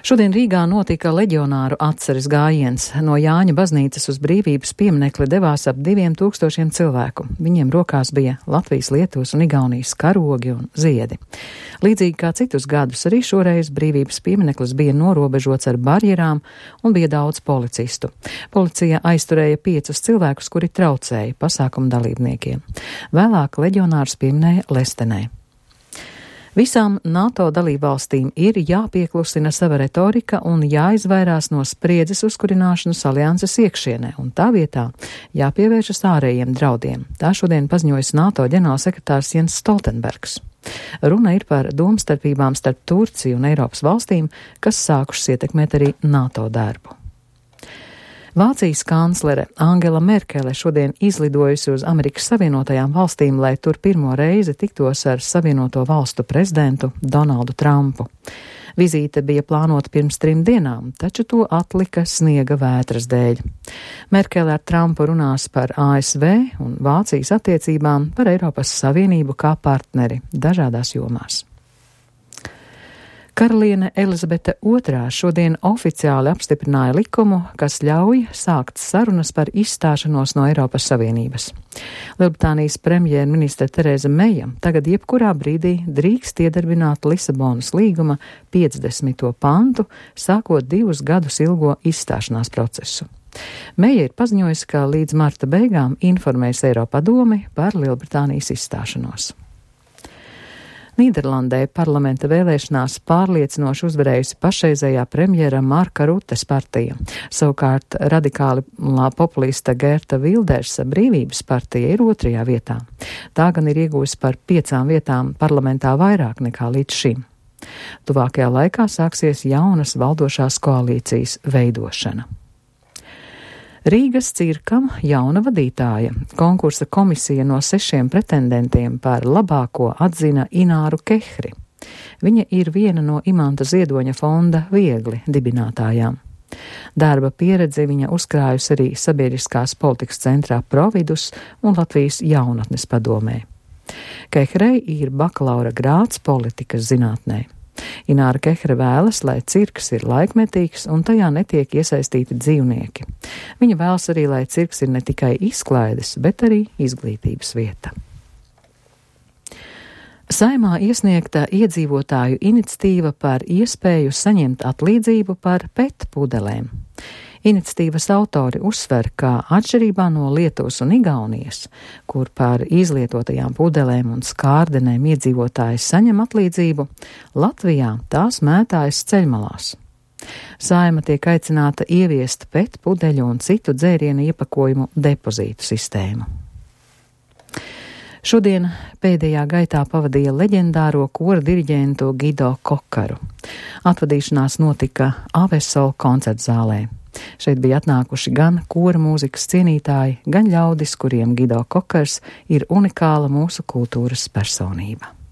Šodien Rīgā notika leģionāru atceres gājiens. No Jāņa baznīcas uz Brīvības pieminekli devās ap 2000 cilvēku. Viņiem rokās bija Latvijas, Lietuvas un Igaunijas karogi un ziedi. Līdzīgi kā citus gadus, arī šoreiz Brīvības piemineklis bija norobežots ar barjerām un bija daudz policistu. Policija aizturēja 5 cilvēkus, kuri traucēja pasākumu dalībniekiem. Vēlāk leģionārs pieminēja Lestenē. Visām NATO dalībvalstīm ir jāpieklusina sava retorika un jāizvairās no spriedzes uzkurināšanas alianses iekšienē, un tā vietā jāpievēršas ārējiem draudiem. Tā šodien paziņojas NATO ģenerālsekretārs Jens Stoltenbergs. Runa ir par domstarpībām starp Turciju un Eiropas valstīm, kas sākušas ietekmēt arī NATO darbu. Vācijas kanclere Angela Merkele šodien izlidojusi uz Amerikas Savienotajām valstīm, lai tur pirmo reizi tiktos ar Savienoto valstu prezidentu Donaldu Trumpu. Vizīte bija plānota pirms 3 dienām, taču to atlika sniega vētras dēļ. Merkele ar Trumpu runās par ASV un Vācijas attiecībām, par Eiropas Savienību kā partneri dažādās jomās. Karaliene Elizabete II šodien oficiāli apstiprināja likumu, kas ļauj sākt sarunas par izstāšanos no Eiropas Savienības. Lielbritānijas premjerministre Tereza Meija tagad jebkurā brīdī drīkst iedarbināt Lisabonas līguma 50. pantu, sākot 2 gadus ilgo izstāšanās procesu. Meija ir paziņojusi, ka līdz marta beigām informēs Eiropadomi par Lielbritānijas izstāšanos. Nīderlandē parlamenta vēlēšanās pārliecinoši uzvarējusi pašreizējā premjera Marka Rutes partija. Savukārt radikāli populista Gerta Vildersa Brīvības partija ir 2. vietā. Tā gan ir iegūsi par 5 vietām parlamentā vairāk nekā līdz šim. Tuvākajā laikā sāksies jaunas valdošās koalīcijas veidošana. Rīgas cirkam jauna vadītāja. Konkursa komisija no 6 pretendentiem par labāko atzina Ināru Kehri. Viņa ir viena no Imanta Ziedoņa fonda Viegli dibinātājām. Darba pieredzi viņa uzkrājusi arī sabiedriskās politikas centrā Providus un Latvijas jaunatnes padomē. Kehrei ir bakalaura grāds politikas zinātnē. Ināra Kehre vēlas, lai cirks ir laikmetīgs un tajā netiek iesaistīti dzīvnieki. Viņa vēlas arī, lai cirks ir ne tikai izklaides, bet arī izglītības vieta. Saimā iesniegta iedzīvotāju iniciatīva par iespēju saņemt atlīdzību par pet pudelēm. Iniciatīvas autori uzsver, ka atšķirībā no Lietuvas un Igaunijas, kur par izlietotajām pudelēm un skārdenēm iedzīvotāji saņem atlīdzību, Latvijā tās mētājas ceļmalās. Saima tiek aicināta ieviest pet pudeļu un citu dzērienu iepakojumu depozītu sistēmu. Šodien pēdējā gaitā pavadīja leģendāro kora diriģentu Gido Kokaru. Atvadīšanās notika Avesola koncertzālē. Šeit bija atnākuši gan kora mūzikas cienītāji, gan ļaudis, kuriem Gido Kokars ir unikāla mūsu kultūras personība.